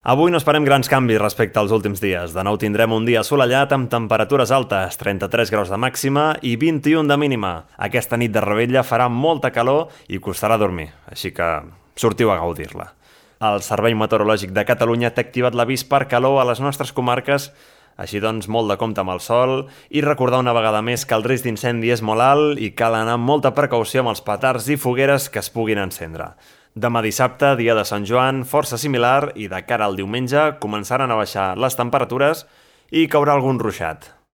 Avui no esperem grans canvis respecte als últims dies. De nou tindrem un dia assolellat amb temperatures altes, 33 graus de màxima i 21 de mínima. Aquesta nit de Rebella farà molta calor i costarà dormir, així que sortiu a gaudir-la. El Servei Meteorològic de Catalunya té activat l'avís per calor a les nostres comarques, així doncs molt de compte amb el sol i recordar una vegada més que el risc d'incendi és molt alt i cal anar amb molta precaució amb els petards i fogueres que es puguin encendre. Demà dissabte, dia de Sant Joan, força similar i de cara al diumenge començaran a baixar les temperatures i caurà algun ruixat.